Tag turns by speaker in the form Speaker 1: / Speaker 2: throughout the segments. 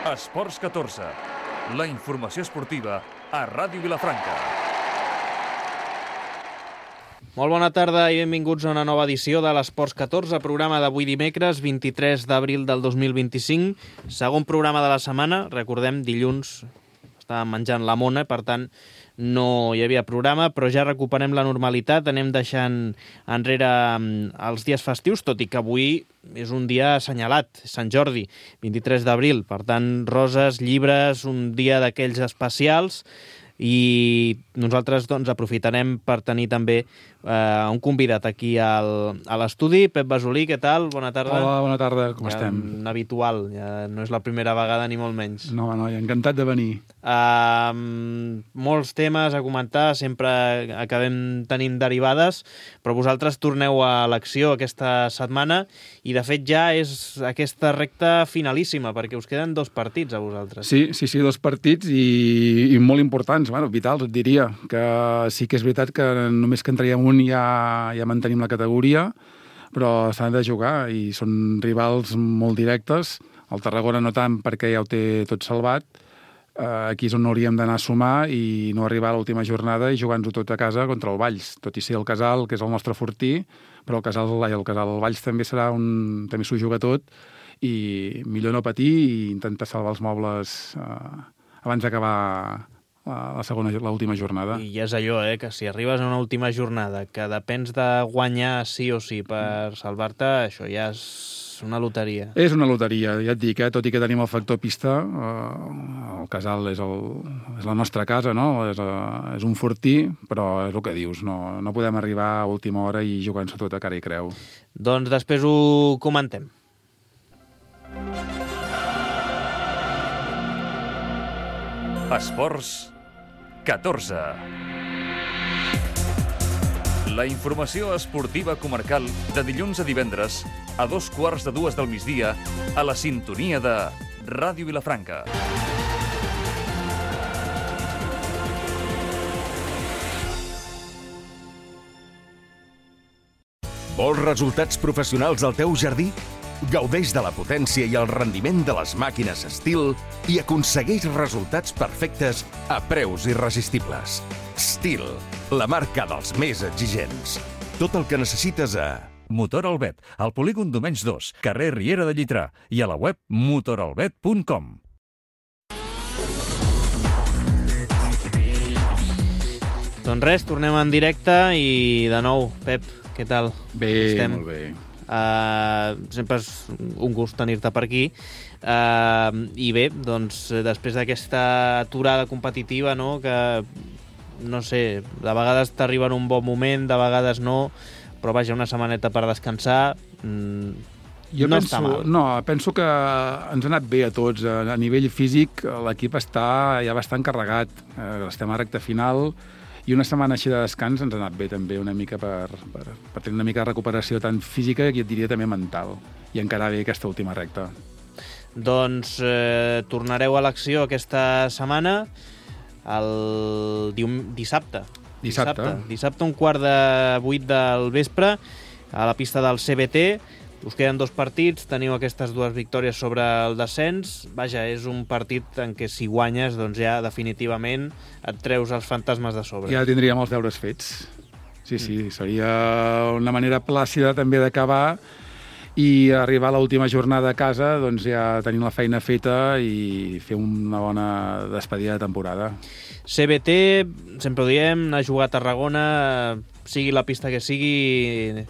Speaker 1: Esports 14, la informació esportiva a Ràdio Vilafranca.
Speaker 2: Molt bona tarda i benvinguts a una nova edició de l'Esports 14, programa d'avui dimecres, 23 d'abril del 2025, segon programa de la setmana. Recordem, dilluns estàvem menjant la mona, per tant no hi havia programa, però ja recuperem la normalitat, anem deixant enrere els dies festius, tot i que avui és un dia assenyalat, Sant Jordi, 23 d'abril, per tant, roses, llibres, un dia d'aquells especials, i nosaltres doncs, aprofitarem per tenir també un convidat aquí a l'estudi. Pep Basolí, què tal? Bona tarda.
Speaker 3: Hola, bona tarda, com estem?
Speaker 2: Un habitual, ja no és la primera vegada ni molt menys.
Speaker 3: No, encantat de venir.
Speaker 2: Molts temes a comentar, sempre acabem tenint derivades, però vosaltres torneu a l'acció aquesta setmana i de fet ja és aquesta recta finalíssima, perquè us queden 2 partits a vosaltres.
Speaker 3: Sí, 2 partits i molt importants, vitals, et diria, que sí que és veritat que només que en traiem un ja mantenim la categoria, però s'han de jugar i són rivals molt directes. El Tarragona no tant, perquè ja ho té tot salvat. Aquí és on hauríem d'anar a sumar i no arribar a l'última jornada i jugar-nos-ho tot a casa contra el Valls, tot i ser el Casal, que és el nostre fortí, però el Casal Valls també també s'ho juga tot i millor no patir i intentar salvar els mobles abans d'acabar l'última jornada.
Speaker 2: I és allò, que si arribes a una última jornada que depens de guanyar sí o sí per salvar-te, això ja és una loteria.
Speaker 3: És una loteria, ja et dic, tot i que tenim el factor pista, el Casal és la nostra casa, no? És un fortí, però és el que dius, no podem arribar a última hora i jugar-nos tot a cara i creu.
Speaker 2: Doncs després ho comentem.
Speaker 1: Esports 14. La informació esportiva comarcal de dilluns a divendres a 2:15 del migdia a la sintonia de Ràdio Vilafranca.
Speaker 4: Vols resultats professionals al teu jardí? Gaudeix de la potència i el rendiment de les màquines Stihl i aconsegueix resultats perfectes a preus irresistibles. Stihl, la marca dels més exigents. Tot el que necessites a
Speaker 1: Motor Albet, al polígon Domenys 2, carrer Riera de Llitrà, i a la web motoralbet.com.
Speaker 2: Doncs res, tornem en directe i de nou, Pep, què tal?
Speaker 3: Bé,
Speaker 2: estem?
Speaker 3: Molt bé.
Speaker 2: Sempre és un gust tenir-te per aquí. I bé, doncs després d'aquesta aturada competitiva, no, que no sé, de vegades t'arriba en un bon moment, de vegades no, però vaja, una setmaneta per descansar està mal.
Speaker 3: Penso que ens ha anat bé a tots. A nivell físic l'equip està ja bastant carregat, estem a recta final i una setmana així de descans ens ha anat bé també una mica per tenir una mica de recuperació tant física i et diria també mental i encarar bé aquesta última recta.
Speaker 2: Doncs tornareu a l'acció aquesta setmana el dissabte. Dissabte, 7:15 del vespre, a la pista del CBT. Us queden 2 partits, teniu aquestes 2 victòries sobre el descens. Vaja, és un partit en què si guanyes, doncs ja definitivament et treus els fantasmes de sobre.
Speaker 3: Ja tindríem els deures fets. Sí, seria una manera plàcida també d'acabar i arribar a l'última jornada a casa, doncs ja tenim la feina feta i fer una bona despedida de temporada.
Speaker 2: CBT, sempre ho diem, anar a jugar a Tarragona, sigui la pista que sigui,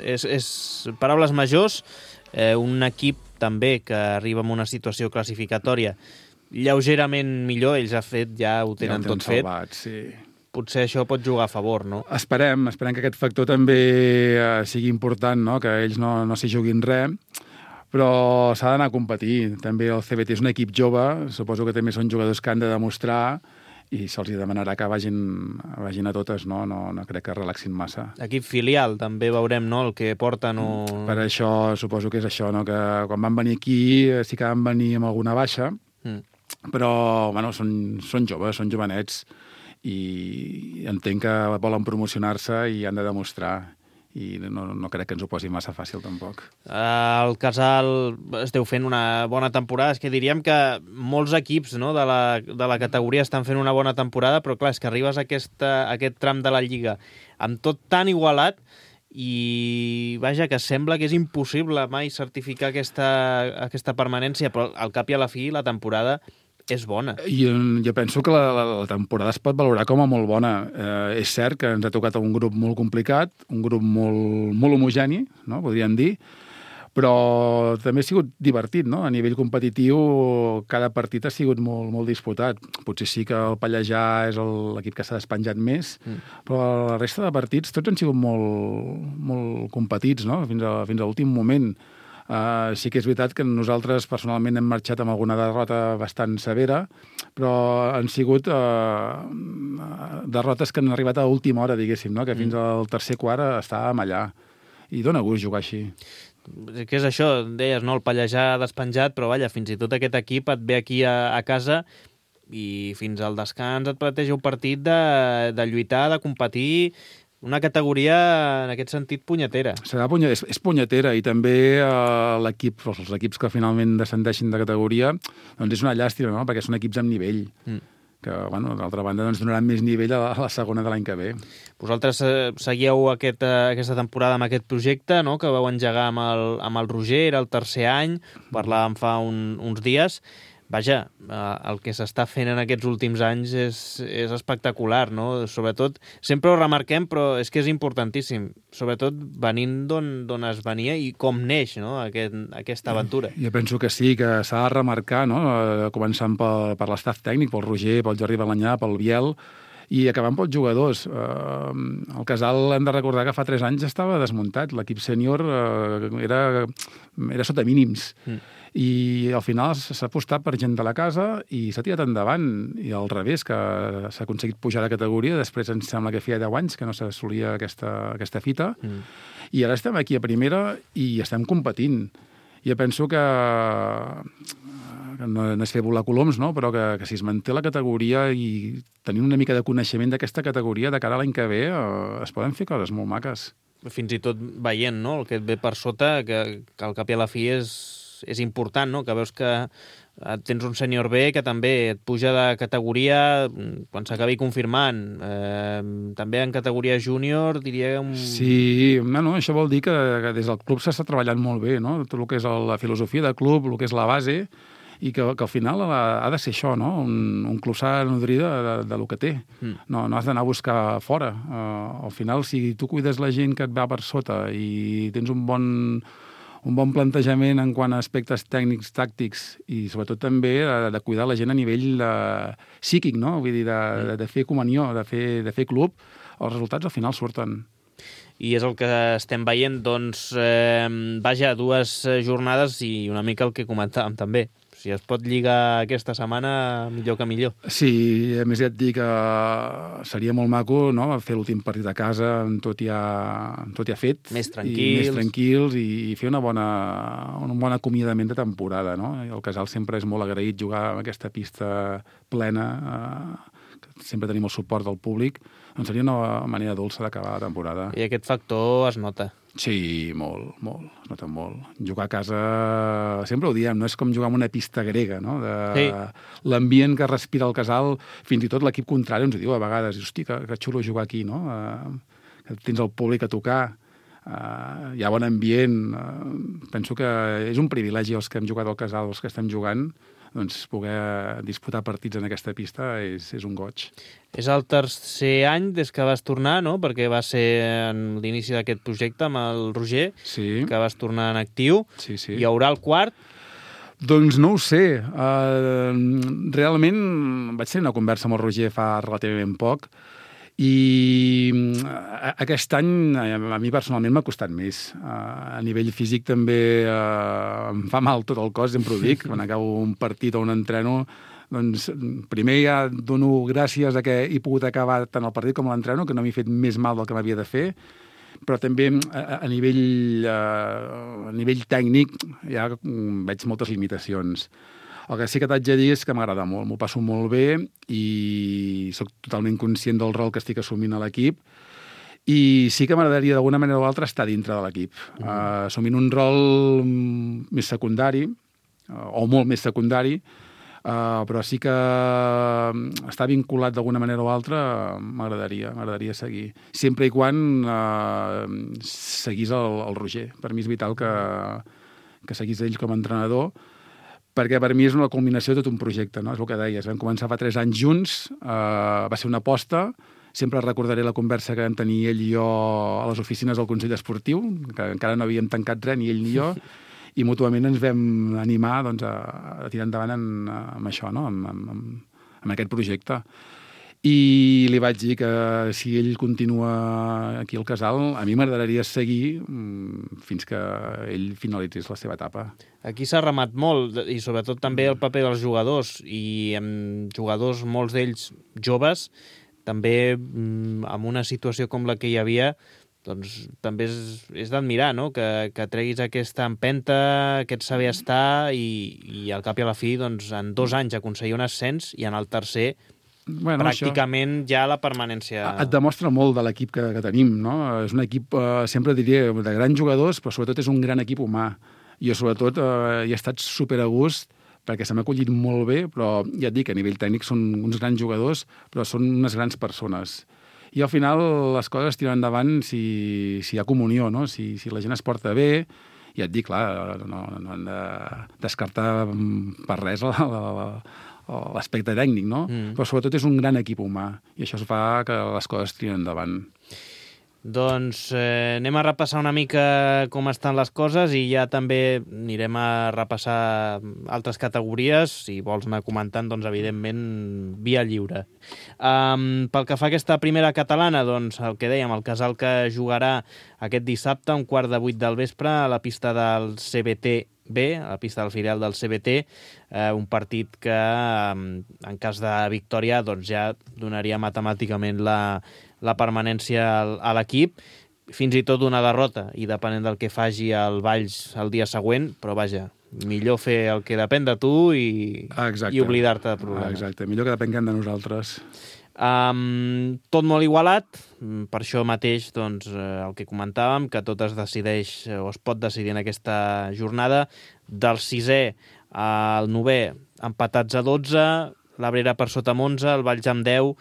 Speaker 2: és paraules majors, un equip també que arriba en una situació classificatòria lleugerament millor, ells ja ho tenen tot fet.
Speaker 3: Salvat, sí.
Speaker 2: Potser això pot jugar a favor, no?
Speaker 3: Esperem que aquest factor també sigui important, no? Que ells no s'hi juguin res, però s'ha d'anar a competir. També el CBT és un equip jove, suposo que també són jugadors que han de demostrar i se'ls demanarà que vagin a totes, no crec que relaxin massa.
Speaker 2: Equip filial, també veurem, no?, el que porten o...
Speaker 3: Per això, suposo que és això, no?, que quan van venir aquí sí que van venir amb alguna baixa, però, bueno, són joves, són jovenets, i entenc que volen promocionar-se i han de demostrar. i no crec que ens ho posi massa fàcil, tampoc.
Speaker 2: El Casal esteu fent una bona temporada. És que diríem que molts equips, no, de la categoria estan fent una bona temporada, però clar, és que arribes a aquest tram de la Lliga amb tot tan igualat i, vaja, que sembla que és impossible mai certificar aquesta permanència, però al cap i a la fi la temporada és bona.
Speaker 3: Jo penso que la temporada es pot valorar com a molt bona. És cert que ens ha tocat un grup molt complicat, un grup molt homogeni, no? Podríem dir, però també ha sigut divertit, no? A nivell competitiu, cada partit ha sigut molt disputat. Potser sí que el Pallejà és l'equip que s'ha despenjat més, però la resta de partits tots han sigut molt competits, no? Fins a l'últim moment. Sí que és veritat que nosaltres personalment hem marxat amb alguna derrota bastant severa, però han sigut derrotes que han arribat a última hora, diguéssim, no? Que fins al tercer quart estàvem allà. I dona gust jugar així.
Speaker 2: Què és això? Deies, no? El Pallejà despenjat, però vaja, fins i tot aquest equip et ve aquí a casa i fins al descans et planteja un partit de lluitar, de competir. Una categoria, en aquest sentit, punyetera.
Speaker 3: És punyetera, i també els equips que finalment descendeixen de categoria, doncs és una llàstima, no? Perquè són equips amb nivell, que, bueno, d'altra banda, doncs donaran més nivell a la segona de l'any que ve.
Speaker 2: Vosaltres seguieu aquesta temporada amb aquest projecte, no?, que vau engegar amb el Roger, era el tercer any, parlàvem fa uns dies. Vaja, el que s'està fent en aquests últims anys és espectacular, no? Sobretot, sempre ho remarquem, però és que és importantíssim. Sobretot venint d'on es venia i com neix, no?, aquesta aventura.
Speaker 3: Jo penso que sí, que s'ha de remarcar, no?, començant per l'estaf tècnic, pel Roger, pel Jordi Balanyà, pel Biel, i acabant pels jugadors. El Casal, hem de recordar que fa 3 anys estava desmuntat. L'equip sènior era sota mínims. I al final s'ha apostat per gent de la casa i s'ha tirat endavant. I al revés, que s'ha aconseguit pujar de categoria. Després ens sembla que feia 10 anys que no s'assolia aquesta fita. I ara estem aquí a primera i estem competint. Jo penso que no és fer volar coloms, no? Però que si es manté la categoria i tenint una mica de coneixement d'aquesta categoria, de cara a l'any que ve, es poden fer coses molt maques.
Speaker 2: Fins i tot veient, no?, el que et ve per sota, que al cap i a la fi és important, no?, que veus que tens un sènior B que també et puja de categoria quan s'acabi confirmant. També en categoria júnior, diria...
Speaker 3: Sí, bueno, això vol dir que des del club s'està treballant molt bé, no? Tot el que és la filosofia del club, el que és la base, i que al final ha de ser això, no? Un club s'ha de nodrir de lo que té. No has d'anar a buscar fora. Al final, si tu cuides la gent que et va per sota i tens un bon plantejament en quant a aspectes tècnics, tàctics, i sobretot també de cuidar la gent a nivell psíquic, no? Vull dir, de fer comunió, de fer club, els resultats al final surten.
Speaker 2: I és el que estem veient, doncs, vaja, 2 jornades i una mica el que comentàvem també. Si es pot lligar aquesta setmana, millor que millor. Sí,
Speaker 3: a més ja et dic que seria molt maco, no?, fer l'últim partit a casa amb tot ja fet.
Speaker 2: Més tranquils.
Speaker 3: I fer un bon acomiadament de temporada, no? El Casal sempre és molt agraït jugar amb aquesta pista plena, sempre tenim el suport del públic, doncs seria una manera dolça d'acabar la temporada.
Speaker 2: I aquest factor es nota.
Speaker 3: Sí, molt, es nota molt. Jugar a casa, sempre ho diem, no és com jugar en una pista grega, no?
Speaker 2: Sí.
Speaker 3: L'ambient que respira el Casal, fins i tot l'equip contrari ens ho diu a vegades, hosti, que xulo jugar aquí, no? Que tens el públic a tocar, hi ha bon ambient, penso que és un privilegi els que hem jugat al Casal, els que estem jugant, doncs poder disputar partits en aquesta pista és un goig.
Speaker 2: És el tercer any des que vas tornar, no?, perquè va ser en l'inici d'aquest projecte amb el Roger,
Speaker 3: sí,
Speaker 2: que vas tornar en actiu.
Speaker 3: Sí.
Speaker 2: Hi haurà el quart?
Speaker 3: Doncs no ho sé. Realment vaig tenir una conversa amb el Roger fa relativament poc, i aquest any a mi personalment m'ha costat més. A nivell físic també em fa mal tot el cos, sempre ho dic. Quan acabo un partit o un entreno, doncs primer ja dono gràcies a que he pogut acabar tant el partit com l'entreno, que no m'he fet més mal del que m'havia de fer, però també a nivell tècnic ja veig moltes limitacions. El que sí que t'haig de dir és que m'agrada molt, m'ho passo molt bé i sóc totalment conscient del rol que estic assumint a l'equip I sí que m'agradaria d'alguna manera o altra estar dintre de l'equip, assumint un rol més secundari, o molt més secundari, però sí que estar vinculat d'alguna manera o altra m'agradaria seguir. Sempre i quan seguís el Roger. Per mi és vital que seguís ell com a entrenador, perquè per mi és una culminació de tot un projecte, no? És el que deies. Vam començar fa 3 anys junts, va ser una aposta. Sempre recordaré la conversa que vam tenir ell i jo a les oficines del Consell Esportiu, que encara no havíem tancat res, ni ell ni jo, i mútuament ens vam animar doncs, a tirar endavant amb això, no? amb aquest projecte. I li vaig dir que si ell continua aquí al Casal, a mi m'agradaria seguir fins que ell finalitzés la seva etapa.
Speaker 2: Aquí s'ha remat molt, i sobretot també el paper dels jugadors, i amb jugadors, molts d'ells joves, també en una situació com la que hi havia, doncs també és d'admirar, no? Que treguis aquesta empenta, aquest saber estar i al cap i a la fi, doncs, en 2 anys aconseguir un ascens i en el tercer pràcticament això, ja la permanència...
Speaker 3: Et demostra molt de l'equip que tenim, no? És un equip, sempre diria, de grans jugadors, però sobretot és un gran equip humà. Jo sobretot hi he estat super a gust perquè se m'ha acollit molt bé, però ja et dic, a nivell tècnic són uns grans jugadors, però són unes grans persones. I al final les coses tiren endavant si hi ha comunió, no? Si la gent es porta bé, ja et dic, clar, no hem de descartar per res l'aspecte tècnic, no? Però sobretot és un gran equip humà i això fa que les coses tiren endavant.
Speaker 2: Doncs anem a repassar una mica com estan les coses i ja també anirem a repassar altres categories. Si vols anar comentant, doncs evidentment via lliure. Pel que fa a aquesta primera catalana, doncs el que dèiem, el Casal que jugarà aquest dissabte a 7:15 del vespre a la pista del CBT B, a la pista del filial del CBT, un partit que en cas de victòria doncs ja donaria matemàticament la permanència a l'equip, fins i tot una derrota, i depenent del que faci el Valls el dia següent, però vaja, millor fer el que depèn de tu i oblidar-te de problemes.
Speaker 3: Exacte, millor que depenguem de nosaltres.
Speaker 2: Tot molt igualat, per això mateix doncs, el que comentàvem, que tot es decideix o es pot decidir en aquesta jornada. Del 6è al 9è empatats a 12, l'Abrera per sota amb 11, el Valls amb 10,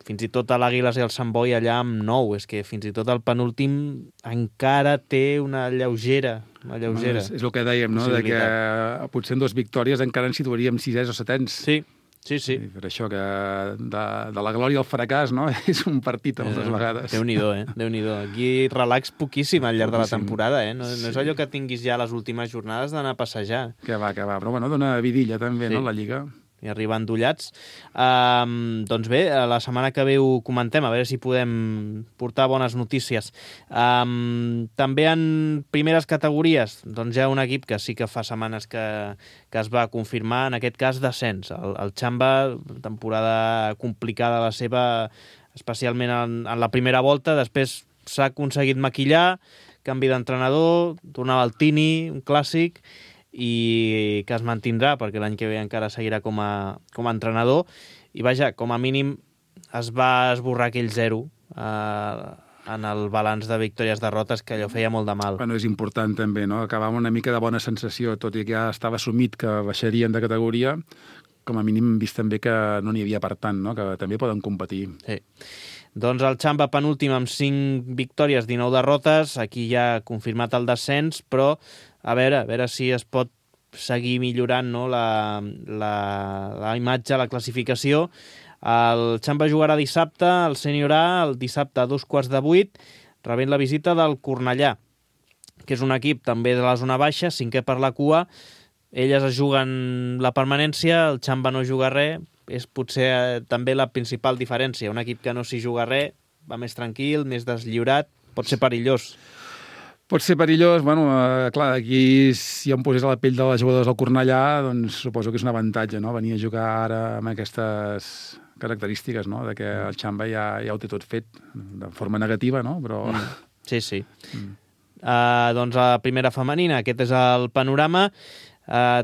Speaker 2: fins i tot l'Àguiles i el Sant Boi allà amb 9. És que fins i tot el penúltim encara té una lleugera.
Speaker 3: És el que dèiem, no? De que potser en 2 victòries encara ens situaríem 6è o 7è.
Speaker 2: Sí.
Speaker 3: Per això que de la glòria al fracàs, no? És un partit moltes vegades.
Speaker 2: Déu-n'hi-do, Déu-n'hi-do. Aquí relax poquíssim al llarg de la temporada, No és allò que tinguis ja les últimes jornades d'anar a passejar.
Speaker 3: Que va. Però bueno, dona vidilla també, no, la Lliga.
Speaker 2: I arribar endollats. Doncs bé, la setmana que ve ho comentem, a veure si podem portar bones notícies. També en primeres categories, doncs hi ha un equip que sí que fa setmanes que es va confirmar, en aquest cas descens. El Xamba, temporada complicada la seva, especialment en la primera volta, després s'ha aconseguit maquillar, canvi d'entrenador, tornava al Tini, un clàssic, i que es mantindrà perquè l'any que ve encara seguirà com a entrenador, i vaja, com a mínim es va esborrar aquell 0 en el balanç de victòries-derrotes, que allò feia molt de mal.
Speaker 3: Bueno, és important també, no? Acabar amb una mica de bona sensació, tot i que ja estava assumit que baixarien de categoria, com a mínim hem vist també que no n'hi havia per tant, no? Que també poden competir.
Speaker 2: Sí. Doncs el Xamba penúltim amb 5 victòries, 19 derrotes, aquí ja ha confirmat el descens, però a veure si es pot seguir millorant, no, la imatge, la classificació. El Xamba jugarà dissabte, el Sènior A, el dissabte a 7:15, rebent la visita del Cornellà, que és un equip també de la zona baixa, 5è per la cua. Elles es juguen la permanència, el Xamba no juga res. És potser també la principal diferència. Un equip que no s'hi juga res, va més tranquil, més deslliurat, pot ser perillós.
Speaker 3: Pot ser perillós, bueno, clar, aquí si em posés a la pell de les jugadores del Cornellà, doncs suposo que és un avantatge, no?, venir a jugar ara amb aquestes característiques, no?, de que el Xamba ja ho té tot fet, de forma negativa, no?, però...
Speaker 2: Sí. Doncs a la primera femenina, aquest és el panorama.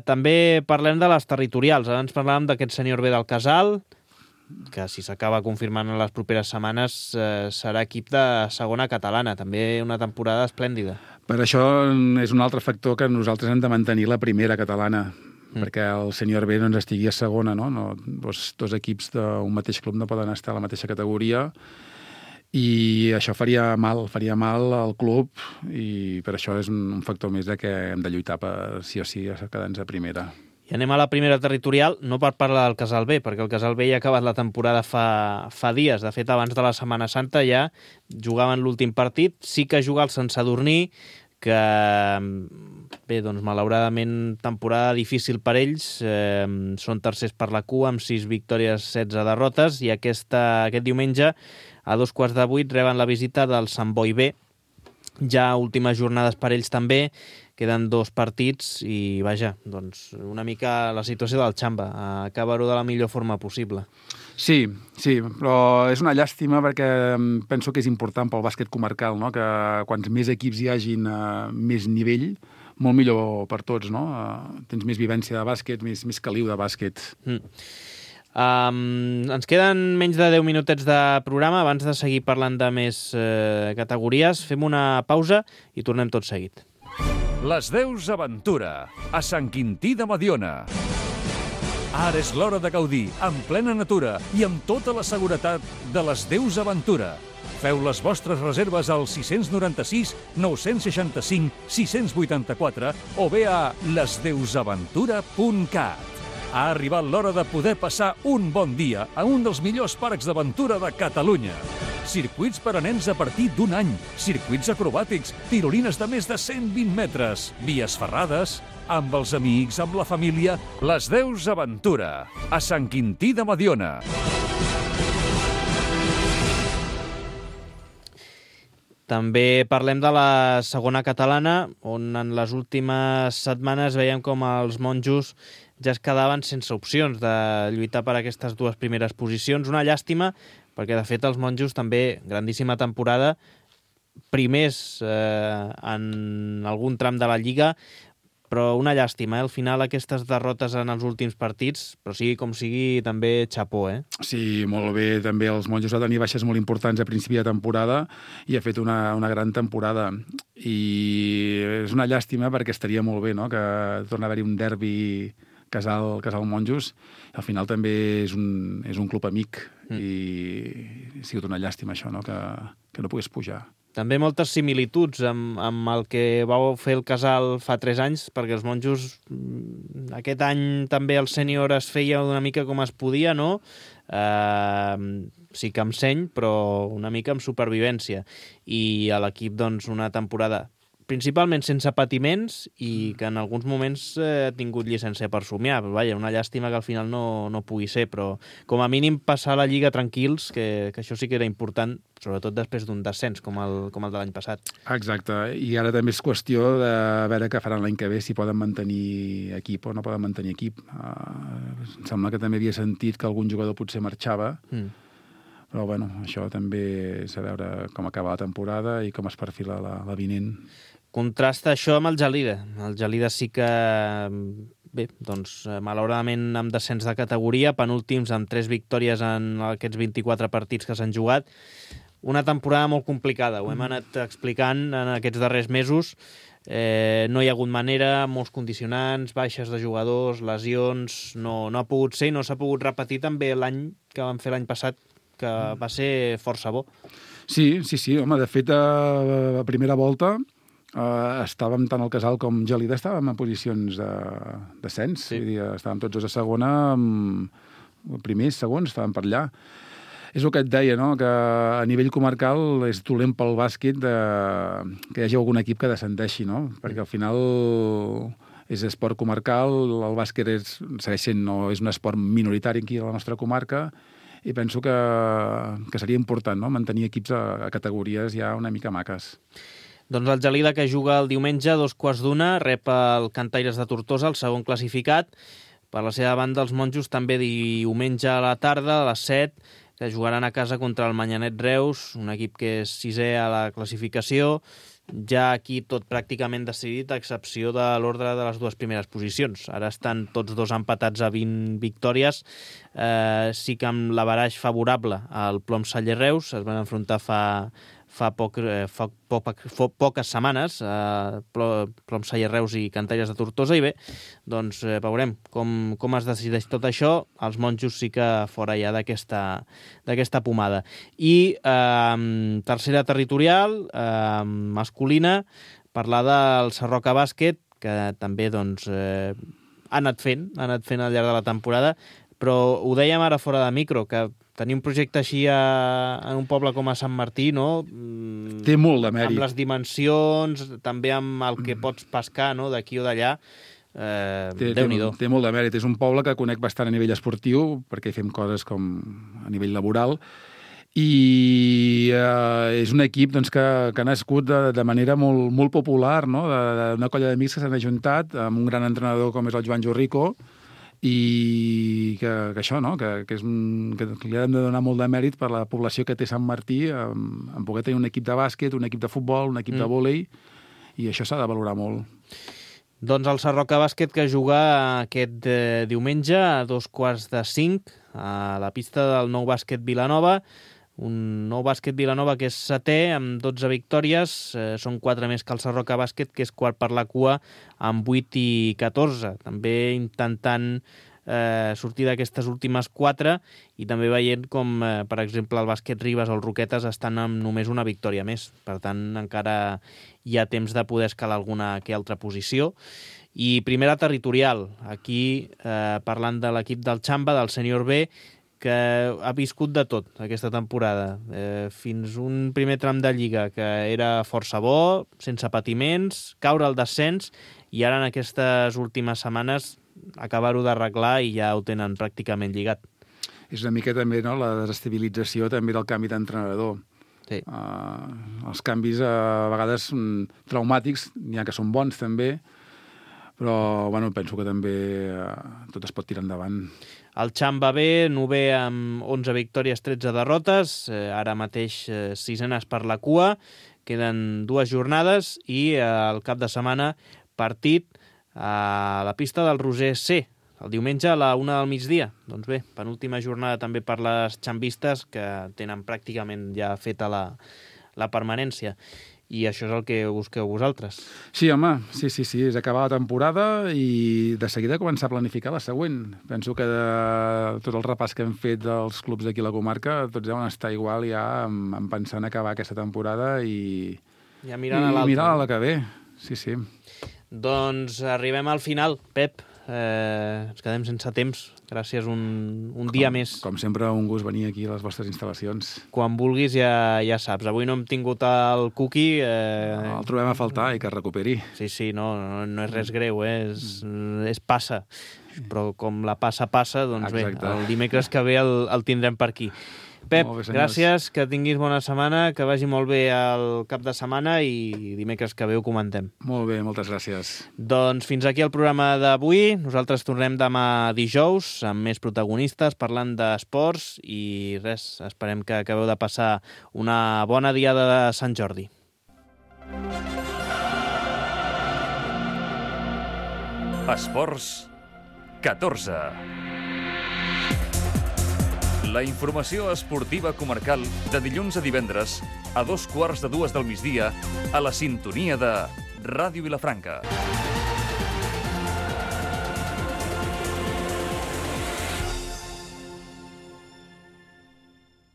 Speaker 2: També parlem de les territorials. Abans parlàvem d'aquest Sènior B del Casal, que si s'acaba confirmant en les properes setmanes serà equip de segona catalana, també una temporada esplèndida.
Speaker 3: Per això és un altre factor que nosaltres hem de mantenir la primera catalana, perquè el sènior B no ens estigui a segona, no? Dos equips d'un mateix club no poden estar a la mateixa categoria, i això faria mal al club, i per això és un factor més de que hem de lluitar per sí o sí a quedar-nos a primera.
Speaker 2: I anem a la primera territorial, no per parlar del Casal B, perquè el Casal B ja ha acabat la temporada fa dies. De fet, abans de la Setmana Santa ja jugaven l'últim partit. Sí que juga el Sant Sadurní, que, bé, doncs, malauradament, temporada difícil per ells. Són tercers per la cua, amb 6 victòries, 16 derrotes, i aquest diumenge, a 7:15 reben la visita del Sant Boi B. Ja últimes jornades per ells també, queden 2 partits i, vaja, doncs una mica la situació del Xamba, acabar-ho de la millor forma possible.
Speaker 3: Sí, però és una llàstima perquè penso que és important pel bàsquet comarcal, no? Que quants més equips hi hagin a més nivell, molt millor per tots, no? Tens més vivència de bàsquet, més caliu de bàsquet.
Speaker 2: Ens queden menys de 10 minutets de programa. Abans de seguir parlant de més categories, fem una pausa i tornem tot seguit.
Speaker 1: Les Deus Aventura, a Sant Quintí de Mediona. Ara és l'hora de gaudir, en plena natura i amb tota la seguretat de les Deus Aventura. Feu les vostres reserves al 696 965 684 o bé a lesdeusaventura.cat. Ha arribat l'hora de poder passar un bon dia a un dels millors parcs d'aventura de Catalunya. Circuits per a nens a partir d'1 any, circuits acrobàtics, tirolines de més de 120 metres, vies ferrades, amb els amics, amb la família. Les Deus Aventura, a Sant Quintí de Mediona.
Speaker 2: També parlem de la segona catalana, on en les últimes setmanes veiem com els monjos ja es quedaven sense opcions de lluitar per aquestes 2 primeres posicions. Una llàstima, perquè de fet els monjos també, grandíssima temporada, primers en algun tram de la Lliga, però una llàstima, al final aquestes derrotes en els últims partits, però sigui com sigui, també xapó,
Speaker 3: Sí, molt bé, també els monjos va tenir baixes molt importants a principi de temporada i ha fet una gran temporada, i és una llàstima perquè estaria molt bé, no?, que torna a haver-hi un derbi Casal Monjos. Al final també és un club amic, i ha sigut una llàstima això, no?, que no pogués pujar.
Speaker 2: També moltes similituds amb el que vau fer el Casal fa 3 anys, perquè els monjos aquest any també el sènior es feia una mica com es podia, no? Sí que amb seny, però una mica amb supervivència. I a l'equip, doncs, una temporada principalment sense patiments i que en alguns moments ha tingut llicència per somiar. Però, vaja, una llàstima que al final no pugui ser, però com a mínim passar la Lliga tranquils, que això sí que era important, sobretot després d'un descens com el de l'any passat.
Speaker 3: Exacte, i ara també és qüestió de veure què faran l'any que ve, si poden mantenir equip o no poden mantenir equip. Em sembla que també havia sentit que algun jugador potser marxava, però bueno, això també és a veure com acaba la temporada i com es perfila la vinent.
Speaker 2: Contrasta això amb el Gelida. El Gelida sí que, bé, doncs, malauradament amb descens de categoria, penúltims amb 3 victòries en aquests 24 partits que s'han jugat. Una temporada molt complicada, ho hem anat explicant en aquests darrers mesos. No hi ha hagut manera, molts condicionants, baixes de jugadors, lesions, no ha pogut ser i no s'ha pogut repetir també l'any que vam fer l'any passat, que va ser força bo.
Speaker 3: Sí, home, de fet, a primera volta estàvem tant el Casal com Gelida estàvem en posicions de descens, sí. Vull dir, estàvem tots a segona, primers, segons, estàvem per allà. És el que et deia, no?, que a nivell comarcal és dolent pel bàsquet que hi hagi algun equip que descendeixi, no?, perquè al final és esport comarcal, el bàsquet segueix sent, no, és un esport minoritari aquí a la nostra comarca, i penso que seria important, no?, mantenir equips a categories ja una mica maques.
Speaker 2: Doncs el Gelida, que juga el diumenge a 2:15, rep el Cantaires de Tortosa, el segon classificat. Per la seva banda, els monjos també diumenge a la tarda, a les 7, que jugaran a casa contra el Manyanet Reus, un equip que és 6è a la classificació, ja aquí tot pràcticament decidit, a excepció de l'ordre de les dues primeres posicions. Ara estan tots dos empatats a 20 victòries. Sí que amb l'averaix favorable al Plom-Saller Reus es van enfrontar fa poques setmanes, Plom-Saller Reus i Cantalles de Tortosa, i bé, doncs veurem com es decideix tot això. Els monjos sí que fora ja d'aquesta pomada. I tercera territorial, masculina, parlar del Sarroca Bàsquet, que també doncs, ha anat fent al llarg de la temporada, però ho dèiem ara fora de micro, que tenir un projecte així en un poble com a Sant Martí, no?
Speaker 3: Té molt de mèrit.
Speaker 2: Amb les dimensions, també amb el que pots pescar, no?, d'aquí o d'allà, Déu-n'hi-do.
Speaker 3: Té molt de mèrit. És un poble que conec bastant a nivell esportiu, perquè hi fem coses com a nivell laboral, i és un equip doncs, que ha nascut de manera molt popular, no? D'una colla d'amics que s'han ajuntat amb un gran entrenador com és el Joan Jorrico, i que això, no? que li hem de donar molt de mèrit per la població que té Sant Martí en poder tenir un equip de bàsquet, un equip de futbol, un equip de vòlei, i això s'ha de valorar molt.
Speaker 2: Doncs el Sarroca Bàsquet, que juga aquest diumenge a 4:45 a la pista del Nou Bàsquet Vilanova. Un Nou Bàsquet Vilanova que és setè amb 12 victòries, són 4 més que el Sarroca Bàsquet, que és quart per la cua amb 8 i 14. També intentant sortir d'aquestes últimes 4 i també veient com, per exemple, el Bàsquet Ribes o el Roquetes estan amb només una victòria més. Per tant, encara hi ha temps de poder escalar alguna que altra posició. I primera territorial, aquí parlant de l'equip del Xamba, del Sènior B, que ha viscut de tot aquesta temporada. Fins un primer tram de Lliga que era força bo, sense patiments, caure al descens, i ara en aquestes últimes setmanes acabar-ho d'arreglar i ja ho tenen pràcticament lligat.
Speaker 3: És una mica també, no?, la desestabilització també del canvi d'entrenador.
Speaker 2: Sí.
Speaker 3: Els canvis a vegades traumàtics, n'hi ha que són bons també, però bueno, penso que també tot es pot tirar endavant.
Speaker 2: El Xamba B, novè amb 11 victòries, 13 derrotes, ara mateix 6enes per la cua, queden 2 jornades i el cap de setmana partit a la pista del Roser C, el diumenge a la 1 del migdia. Doncs bé, penúltima jornada també per les xambistes, que tenen pràcticament ja feta la permanència. I això és el que busqueu vosaltres.
Speaker 3: Sí, home, sí, és acabar la temporada i de seguida començar a planificar la següent. Penso que de tot el repàs que hem fet dels clubs d'aquí a la comarca, tots deuen estar igual ja en pensar en acabar aquesta temporada i
Speaker 2: ja mirant a l'altre.
Speaker 3: Mirar a la que ve, sí.
Speaker 2: Doncs arribem al final, Pep. Ens quedem sense temps. Gràcies un dia més.
Speaker 3: Com sempre, un gust venir aquí a les vostres instal·lacions.
Speaker 2: Quan vulguis ja saps. Avui no hem tingut el Cuqui.
Speaker 3: El trobem a faltar i que es recuperi.
Speaker 2: Sí, no és res greu, és passa. Però com la passa, doncs exacte. Bé, el dimecres que ve el tindrem per aquí. Pep, bé, gràcies, que tinguis bona setmana, que vagi molt bé el cap de setmana i dimecres que ve ho comentem.
Speaker 3: Molt bé, moltes gràcies.
Speaker 2: Doncs fins aquí el programa d'avui. Nosaltres tornem demà dijous amb més protagonistes parlant d'esports i res, esperem que acabeu de passar una bona diada de Sant Jordi.
Speaker 1: Esports 14. La informació esportiva comarcal de dilluns a divendres a 2:15 del migdia a la sintonia de Ràdio Vilafranca.